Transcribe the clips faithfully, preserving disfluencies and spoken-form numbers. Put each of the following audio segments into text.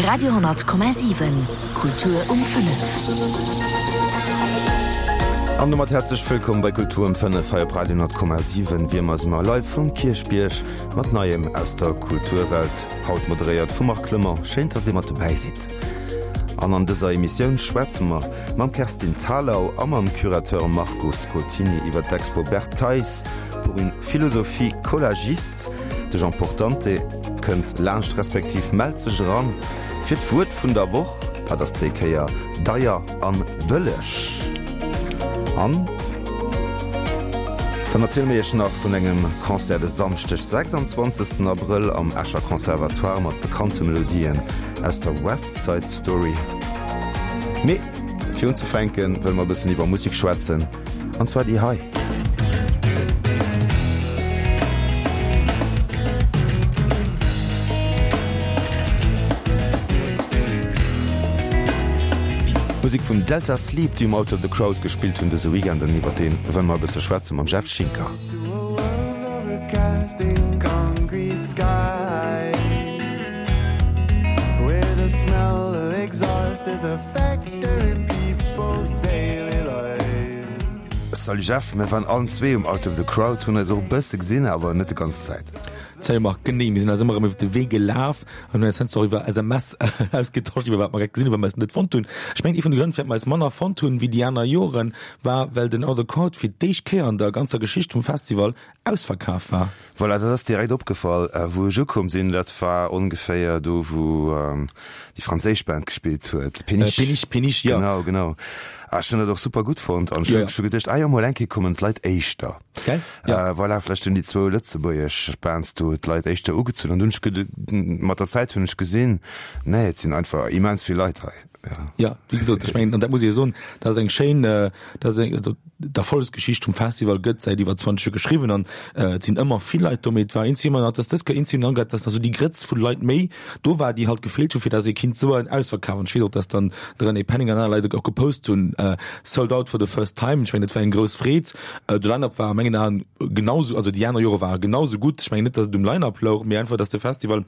Radio honnert Komma siwen, Kultur um fënnef. An domat häerzlech wëllkomm bei Kultur um fënnef hei op Radio honnert Komma siwen. Wéi ëmmer si mer live vum Kierchbierg mat Neiem aus der Kulturwelt. Haut moderéiert vum Marc Clement. Schéin, dass Dir mat dobäi sidd. An an dëser Emissioun schwätze mer mam Kerstin Thalau a mam Curateur Marco Scotini iwwer d'Expo Bert Theis pour une philosophie collagiste. De Jean Portante kënnt laanscht respektiv mellt sech eran fir d'Wuert vun der Woch. Dat ass déi Kéier deier an bëlleg. An dann erziele mir iech nach vun engem Concert de Samschdeg sechsundzwanzegsten Abrëll am Escher Conservatoire mat bekannte Melodien aus der West Side Story. Mee fir unzefänken, wëlle mer e bëssen iwwer Musek schwätzen, an zwar déi hei. Musek vun Delta Sleep, déi um Out of the Crowd gespillt hunn dëse Weekend an iwwer dee wëlle mer e bësse schwätze mam Jeff Schinker. Salut Jeff, mir waren allen zwee um Out of the Crowd, hunn eis och e bësse gesinn, awer net de ganz Zäit. Salut Marc, genee, mir sinn eis ëmmer erëm iwwer de Wee gelaf an hunn eis heiansdo och iwwer S M S ausgetosch, iwwer wat mer grad gesinn hunn, wat mer eis net fonnt hunn. Ech mengen, ee vun de Grënn, firwat mer eis manner fonnt hunn wéi déi aner Joren, war, well den Out of the Crowd fir d'éischt Kéier an der ganzer Geschicht vum Festival ausverkaf war. Voilà, dat ass direkt opgefall, wou ech ukomm sinn. Dat war ongeféier do, wou déi franséisch Band gespillt huet, Péniche. Péniche, Péniche, jo. Genau, genau. Ah, ech hunn dat och super gutt fonnt an ech hu geduecht, ah jo, mol eng Kéier kommen d'Leit éischter. Gell? Ja. Voilà, vläicht hunn déi zwou lëtzebuergesch Bands do d'Leit éischter ugezunn an dunn hunn ech mat der Zäit hunn ech gesinn, nee, et sinn einfach immens vill Leit hei. Ja, ja, wéi gesot, ech mengen, an dat muss ee jo soen, dat ass eng schéin, dat ass eng, also d'Erfollegsgeschicht vum Festival gëtt säit iwwer zwanzeg Joer geschriwwen an et sinn ëmmer vill Leit do, mee et war eenzi ëmmer nach, dass dës Kéier eenzi ëmmer nach, dass nach esou déi Grëtz vu Leit méi do war, déi halt gefeelt hu fir dass ee kinnt soen, ausverkaf. An ech weess och, dass dann de René Penning an aner Leit och gepost hunn, sold out for the first time. Ech mengen, dat war eng grouss Freed. De Line-up war a mengen Aen genau sou, also déi aner Jore ware genau sou gutt. Ech mengen net, dass et um Line-up louch, mee einfach, dass de Festival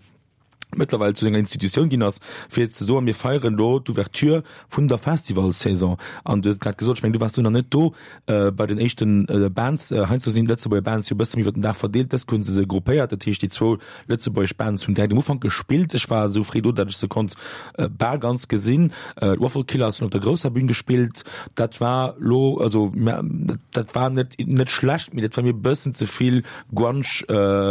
mëttlerweil zu enger Institutioun ginn ass, fir ze soen, mir feieren elo d'Ouverture vun der Festivalsaison. An du hues et grad gesot, ech mengen, du waars du nach net do bei den éischte Bands. Heiansdo sinn d'Lëtzebuerger Bands jo e bësse méi iwwer den Dag verdeelt. Dës Kéier hu se se gruppéiert, dat heescht, déi zwou lëtzebuergesch Bands hunn direkt um Ufank gespillt. Ech war esou fréi do, datt ech se konnt bal ganz gesinn. D'Waffle Killers hunn op der grousser Bün gespillt. Dat war lo, also dat war net net schlecht, mee dat war mir e bëssen ze vill Grunge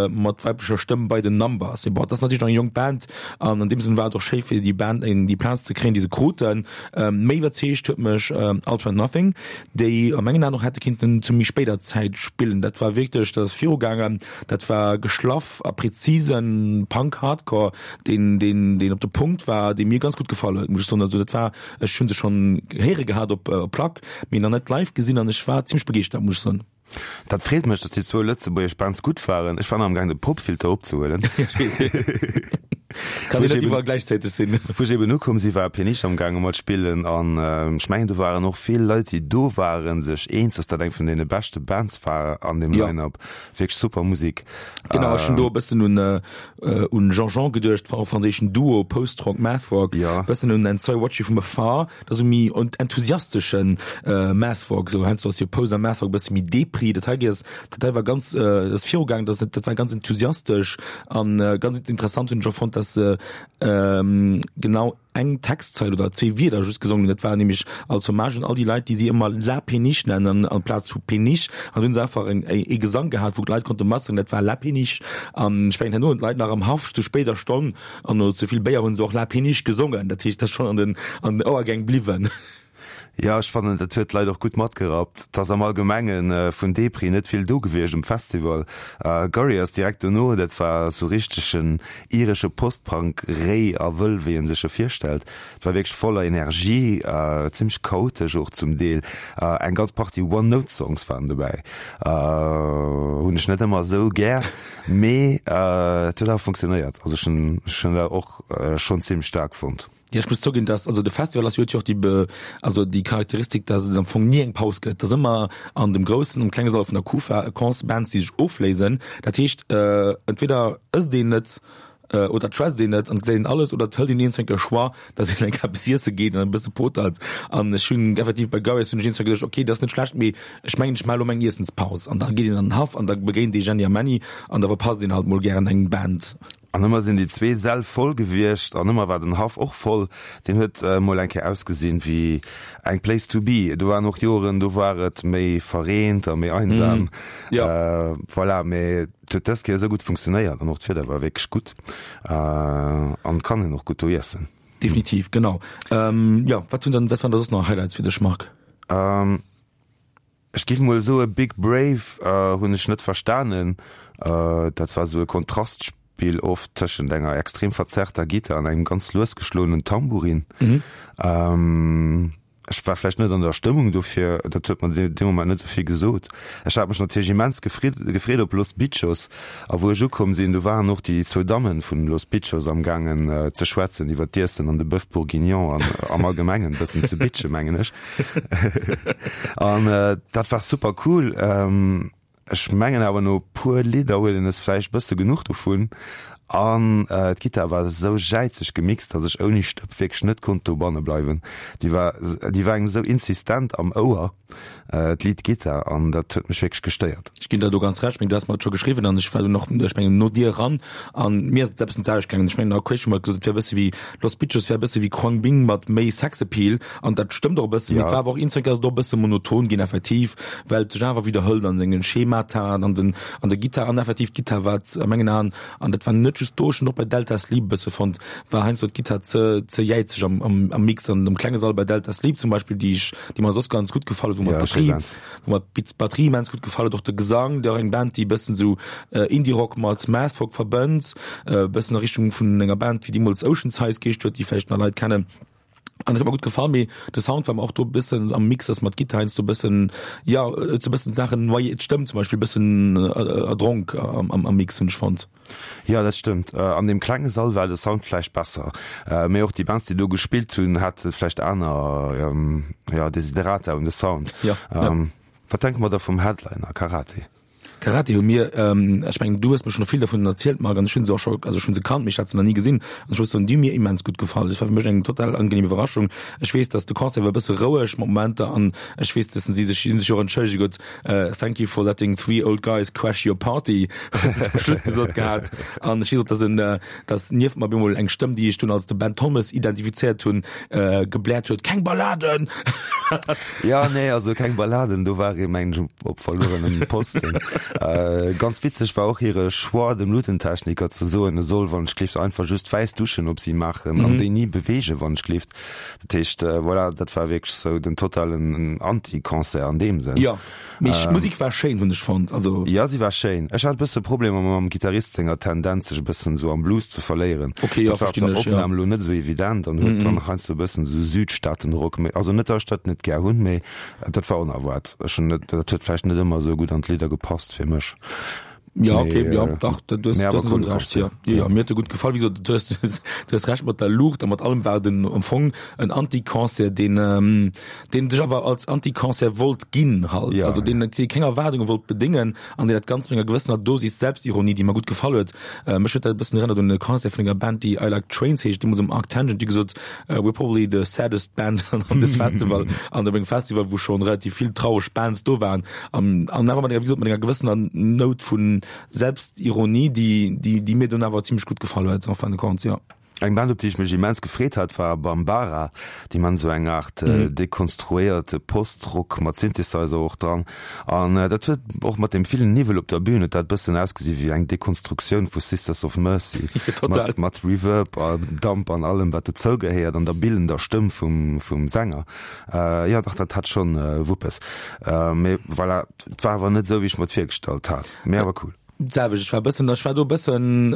mat weiblecher Stëmm bei den Numbers. Mee bon, dat ass natierlech nach eng jonk Band an an deem Sënn war et och schéi fir déi Band déi Plaz ze kréien, déi se kruten. Méi iwwerzeegt huet mech Ultra Nothing, déi a mengen Aen och hätte kinnten zu méi spéider Zäit spillen. Dat war wierklech, dat ass virugaangen, dat war geschlaff a präzisen Punk-Hardcore, deen deen deen op de Punkt war, dee mir ganz gutt gefall huet, muss ech soen. Also dat war, ech hu se schonn héiere gehat op Plack, mee nach net live gesinn an ech war zimmlech begeeschtert, muss ech soen. Dat freet mech, datt déi zwou lëtzebuergesch Bands gutt waren. Ech war nach am gaang de Popfilter opzehuelen. Kann een net iwwerall gläichzäiteg sinn. Wou ech eben ukomm si war Péniche am gaange mat spillen an ech mengen do waren och vill Leit déi do waren sech eens, datt dat eng vun deene beschte Bands war an deem Line-up. Wierklech super Musek. Genau, ech hunn do e bëssen un un Jean-Jean geduecht, franséischen Duo, Post-Rock, Math-Rock, e bëssen un And So I Watch You From Afar. Dat ass esou méi enthusiasteschen Math-Rock, esou heiansdo ass jo Post a Math-Rock e bësse méi Depri. Dat hei ass, dat hei war ganz, dat ass virugaangen, dat dat war ganz enthusiastesch an ganz interessant hunn ech och fonnt, dass se genau eng Textzeil oder zwee Wierder just gesongen hunn. Dat war nämlech als Hommage un all déi Leit, déi si ëmmer La Péniche nennen amplaz vu Péniche. An do hunn se einfach eng ee Gesang gehat, wou d'Leit konnte matsongen, dat war La Péniche. An ech mengen, herno hunn d'Leit nach am Haff zu spéider Stonn an no ze vill Béier hunn se och La Péniche gesongen. Dat heescht, dat ass schonn an den an den Ouergäng bliwwen. Jo, ech fannen, dat huet d'Leit och gutt matgerappt. Et ass am Allgemenge vun Depri net vill do gewiescht um Festival. Gorillaz direkt dono, dat war sou richtegen iresche Post-Punk, réi a wëll, wéi en sech e virstellt. Et war wierklech voller Energie, zimmlech chaotesch och zum Deel. Eng ganz Partie One-Note-Songs waren dobäi. Hunn ech net ëmmer esou gär, mee et huet awer funktionéiert. Also ech hunn ech hunn dat och schonn zimmlech staark fonnt. Jo, ech muss zouginn, dass, also de Festival ass jo, huet jo och déi Be, also déi Charakteristik, dass et am Fong ni eng Paus gëtt. Et ass ëmmer an dem groussen, am klenge Sall vun der Kufa e Concert, Bands, déi sech ofléisen. Dat heescht, entweder ësst een net, Oder et schwätzt een net an et gesäit een alles oder et hëlt een iergendwann e Choix, datt een eng eppes iesse geet an e bësse potert. An ech hunn effektiv bei Gareth hunn ech iergendwann geduecht, okay, dat ass net schlecht, mee ech mengen, ech maache elo meng Iessenspaus. An da geet een an den Haff an da begéint ee Jenny a Menny an da verpasst een halt mol gären eng Band. An ëmmer sinn déi zwee Säll voll gewiescht an ëmmer war den Haff och voll. Deen huet mol eng Kéier ausgesinn wéi eng Place to be. Do waren och Joren, do war et méi verreent a méi einsam. Voilà, mee et huet dës Kéier esou gutt funktionéiert an och d'Wieder war wierklech gutt an et kann een och gutt do iessen. Definitiv, genau. Jo, wat hunn dann, wat waren da soss nach Highlights fir dech, Marc? Ech giff mol soe Big Brave hunn ech net verstanen. Dat war sou e Kontrastspill oft tëschent enger extrem verzerrter Gittar an engem ganz lues geschloenen Tambourin. Ech war vläicht net an der Stëmmung dofir, dat huet mer dee Moment net esou vill gesot. Ech hat mech natierlech immens gefreet op Los Bitchos a wou ech ukomm sinn, do waren och déi zwou Dammen vun Los Bitchos amgaangen ze schwätzen iwwer d'Iessen an de Boeuf bourguignon an am Allgemengen e bëssen ze bitchen, mengen ech. An dat war super cool. Ech mengen awer no puer Lidder huet een es vläicht bësse genuch dovun. An d'Gittar war esou jäizeg gemixt, dass ech ouni Stëpp wierklech net konnt dobanne bleiwen. Déi war, déi war engem esou insistent am Ouer, d'Lead-Gittar, an dat huet mech wierklech gestéiert. Ech ginn der do ganz Recht, meng du has mer et scho geschriwwen an ech war dunn och, ech mengen no dir eran an mir ass et eppes d'selwecht gaangen. Ech mengen Aquation hu mer gesot, et wär e bësse wéi Los Bitchos wär e bësse wéi Khruangbin mat méi Sexappeal an dat stëmmt och e bëssen, mee et war awer och eenzel ass et och e bësse monoton ginn effektiv, well et sech awer widderhëlt an sengen Schemata an den an der Gittar an effektiv d'Gittar war a mengen Aen, an dat war net just do, ech hunn och bei Delta Sleep e bësse fonnt, war heiansdo d'Gittar ze ze jäizeg am am am Mix an am klenge Sall bei Delta Sleep zum Beispill, déi ech déi mer soss ganz gutt gefall huet, wou mer d'Batterie wou mer d'Batterie immens gutt gefall huet, och de Gesang, déi och eng Band, déi e bëssen esou Indie-Rock mat Math-Rock verbënnt, e bëssen a Richtung vun enger Band, wéi deemools Oceansize geheescht huet, déi vläicht nach Leit kennen. An et huet mer gutt gefall, mee de Sound war mer och do e bëssen am Mix, ass mat Gittar heiansdo e bëssen, jo, huet sou e bëssen d'Saachen noyé, d'Stëmm zum Beispill e bëssen erdronk am am Mix, hunn ech fonnt. Jo, dat stëmmt. An deem klenge Sall war de Sound vläicht besser, mee och déi Bands, déi do gespillt hunn, hate vläicht aner, jo, Desiderata un de Sound. Jo, jo. Wat denke mer da vum Headliner Karate? Karate hu mir, ech mengen du hues mir schonn vill dervun erzielt Marc, an ech hunn se och scho, also ech hunn se kannt, mee ech hat se nach ni gesinn, an ech muss soen, déi hu mir immens gutt gefall. Et war fir mech eng total angenehm Iwwerraschung. Ech weess, datt de Concert war e bësse roueg mat Momenter an ech weess, datt si sech, si hunn sech och entschëllege gutt, Thank you for letting three old guys crash your party, huet se zum Schluss gesot gehat. An ech weess och, datt en, datt nieft mer op eemol eng Stëmm, déi ech dunn als de Ben Thomas identifizéiert hunn, gebläert huet, Keng Balladen! Jo, nee, also keng Balladen, do war ee mengen ech op verluerenem Posten. Ganz witzeg war och hire Choix, dem Luutentechniker ze soen, e soll wann ech gleeft einfach just wäiss Duschen op si maachen an déi ni beweegen, wann ech gleeft. Dat heescht, voilà, dat war wierklech sou den totalen Anti-Concert an deem Sënn. Jo, mee d'Musek war schéin, hunn ech fonnt, also. Jo, si war schéin. Ech hat e bësse Problemer mam Gittarist senger Tendenz, sech e bëssen sou am Blues ze verléieren. Ok, jo, Dat war op verstinn der ech, jo. Opnam elo net esou evident an huet dann heiansdo e bëssen esou Südstaaten-Rock, mee also net, datt ech dat net gär hunn, mee dat war onerwaart. Ech hunn net, dat huet vläicht net ëmmer esou gutt an d'Lidder gepasst fir mech. Ja, okay, Mee, ja, äh, dach, du hues, mee du awer hues coole recht, Concert. ja. Ja, ja, mir huet e gutt gefall. Wéi gesot, du hues, du hues recht mat der Luucht a mat allem war den am Fong en Anti-Concert, deen, ähm, deen sech awer als Anti-Concert wollt ginn halt. Ja, also deen, ja. dee keng Erwaardunge wollt bedéngen an deen dat Ganzt mat enger gewëssener Dosis Selbstironie, déi mer gutt gefall huet. Äh, mech huet dat e bëssen erënnert un e Concert vun enger Band, déi I Like Trains heescht, deemools um Arctangent, déi gesot, We're probably the saddest band on this festival. An op engem Festival, wou schonn relativ vill traureg Bands do waren. An, an awer mat enger, wéi gesot, mat enger gewëssener Nout vu Selbstironie, déi, déi, déi mir dunn awer zimmlech gutt gefall huet, en fin de compte, jo. Eng Band, op déi ech mech immens gefreet hat, war Bambara. Déi man esou eng Aart dekonstruéierte Post-Rock mat Synthesizer och dran. An dat huet och mat deem villen Niwwel op der Bühn huet dat bëssen ausgesi wéi eng Dekonstruktioun vu Sisters of Mercy. Total. Mat, mat Reverb a Damp an allem wat dozou gehéiert an der billender Stëmm vum, vum Sänger. Jo dach, dat hat schonn Wuppes. Mee voilà, et war awer net esou wéi ech mer et virgestallt hat. Mee awer cool. D'selwecht, ech war e bëssen, ech war do e bëssen,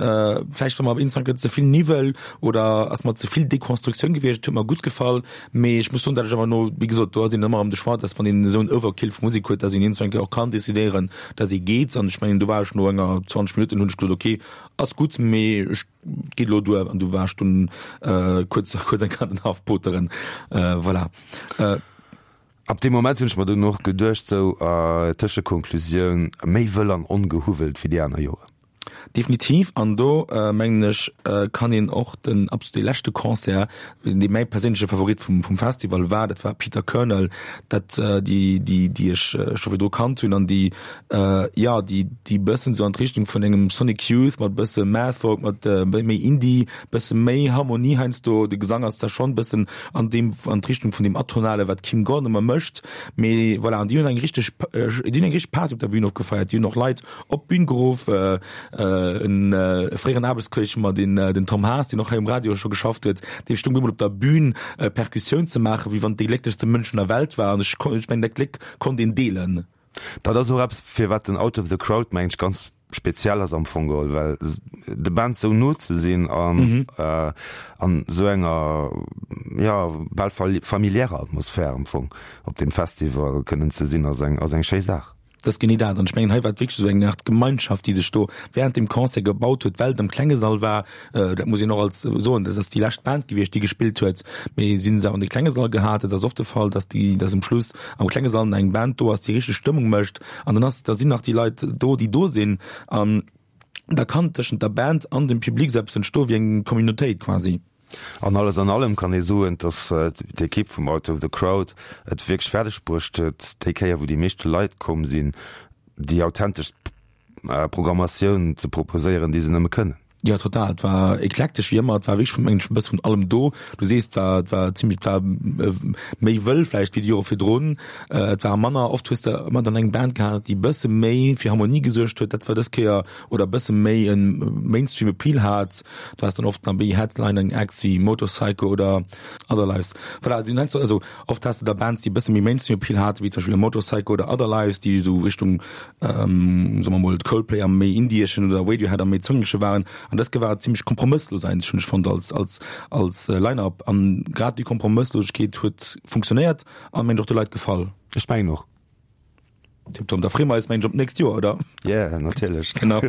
vläicht war mer insgesamt ze vill Niwwel oder ass mer ze vill Dekonstruktioun gewiescht. Et huet mer gutt gefall, mee ech muss soen, datt ech awer no, wéi gesot, do ass een ëmmer erëm de Choix, datt wann een esou en Overkill vu Musek huet, datt een iergendwann och kann decidéieren, datt ee geet. An ech mengen, do war ech no enger zwanzeg Minutten, hunn ech gesot, okay, ass gutt, mee ech geet elo duer. An du war ech dunn kuerz, kuerz eng Kéier den Haff poteren. Voilà. Ab deem Moment hunn ech mer dunn och geduecht, sou, Tëschekonklusioun, méi wëll an ongehuwwelt wéi déi aner Joren. Definitiv, an do mengen ech kann een och den absolut dee leschte Concert, dee mäi perséinleche Favorit vum vum Festival war, dat war Peter Kernel, dat déi déi déi ech scho virdru kannt hunn an déi jo déi déi bëssen esou an d'Richtung vun engem Sonic Youth mat bësse Math Folk, mat méi Indie, bësse méi Harmonie heiansdo, de Gesang ass da schonn bëssen an deem an d'Richtung vun deem Atonale wat d'Kim Gordon ëmmer mécht, mee voilà, an déi hunn eng richteg déi hunn eng richteg Party op der Bühn ofgefeiert, déi hunn och Leit op d'Bühn geruff, en fréieren Aarbechtskolleg vu mer, den den Tom Haas, deen och hei um Radio scho geschafft huet, dee stoung bemol op der Bühn Perkussioun ze maachen, wéi wann et dee glécklechste Mënsch vun der Welt war. An ech ech mengen, dat Gléck konnt een deelen. Dat ass och eppes, firwat den Out of the Crowd, mengen ech, ganz speziell ass am Fong geholl, well de Bands sou no ze sinn an an sou enger, jo, bal familiärer Atmosphär am Fong op deem Festival kënnen ze sinn, ass eng ass eng schéi Saach. Dat ass genee dat. An ech mengen, hei war et wierklech esou eng Aart Gemeinschaft, déi sech do während dem Concert gebaut huet, well et am klenge Sall war. Dat muss een och als soen, dat ass déi lescht Band gewiescht, déi gespillt huet. Mee si hunn se awer an de klenge Sall gehat. Et ass oft de Fall, dass déi, dass um Schluss am klenge Sall nach eng Band do ass, déi richteg Stëmmung mécht. An dann ass, da sinn nach déi Leit do, déi do sinn. An da kann tëschent der Band an dem Public esou eppes entstoen, wéi eng Communautéit quasi. An alles an allem kann ee soen, dass d'Ekipp vum Out of the Crowd et wierklech fäerdeg bruecht huet, déi Kéier wou déi meeschte Leit komm sinn, déi authenteschst Programmatioun ze proposéieren, déi se nëmme kënnen. Jo, total. Et war eklektesch wéi ëmmer. Et war wierklech vun mengen ech e bësse vun allem do. Du sees, et war, et war zimmlech, et war méi wëll vläicht wéi déi Jore virdrun. Et war manner, oft hues de ëmmer dann eng Band gehat, déi e bësse méi fir Harmonie gesuergt huet. Dat war dës Kéier, oder e bësse méi e Mainstream Appeal hat. Du has dann oft nach méi Headlining Acts wéi Motorpsycho oder Other Lives. Voilà, du nennst, also oft has de da Bands, déi e bësse méi Mainstream Appeal haten, wéi zum Beispill e Motorpsycho oder Other Lives, déi esou Richtung, soe mer mol, Coldplay am méi indieschen oder Radiohead am méi zëngleche waren. An dës Kéier war et zimmlech kompromësslos eigentlech, hunn ech fonnt, als, als, als Line-Up. An grad déi Kompromësslosegkeet huet funktionéiert an, mengen ech, och de Leit gefall. Ech mengen och. Tiptop, da freeë mer eis, mengen ech, op d'nächst Joer, oder? Yeah, natierlech. Genau.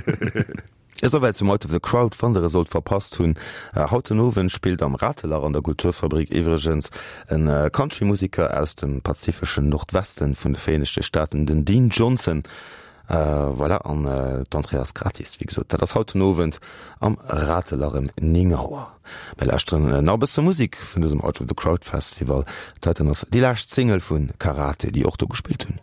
Esouwäit zum Out of the Crowd. Wann der e sollt verpasst hunn, haut den Owend spillt am Ratelach an der Kulturfabrik iwwregens e Country-Museker aus dem pazifeschen Nordwesten vun de Vereenegte Staaten, den Dean Johnson. Voilà, an d'Entrée ass gratis, wéi gesot. Dat ass haut den Owend am Ratelach ëm néng Auer. Mir lauschteren nach e bësse Musek vun dësem Out of the Crowd Festival. Dat heiten ass déi lescht Single vu Karate, déi och do gespillt hunn.